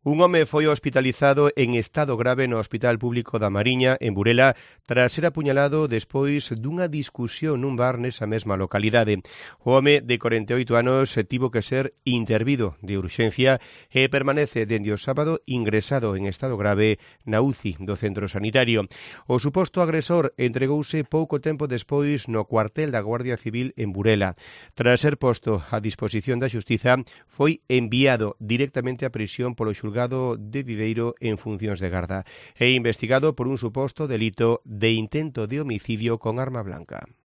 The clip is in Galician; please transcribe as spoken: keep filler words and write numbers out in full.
Un home foi hospitalizado en estado grave no Hospital Público da Mariña, en Burela, tras ser apuñalado despois dunha discusión nun bar nesa mesma localidade. O home de corenta e oito anos tivo que ser intervido de urxencia e permanece dende o sábado ingresado en estado grave na U C I do centro sanitario. O suposto agresor entregouse pouco tempo despois no cuartel da Guardia Civil en Burela. Tras ser posto a disposición da Xustiza, foi enviado directamente á prisión polo xulgado de Viveiro en funcións de garda e investigado por un suposto delito de intento de homicidio con arma blanca.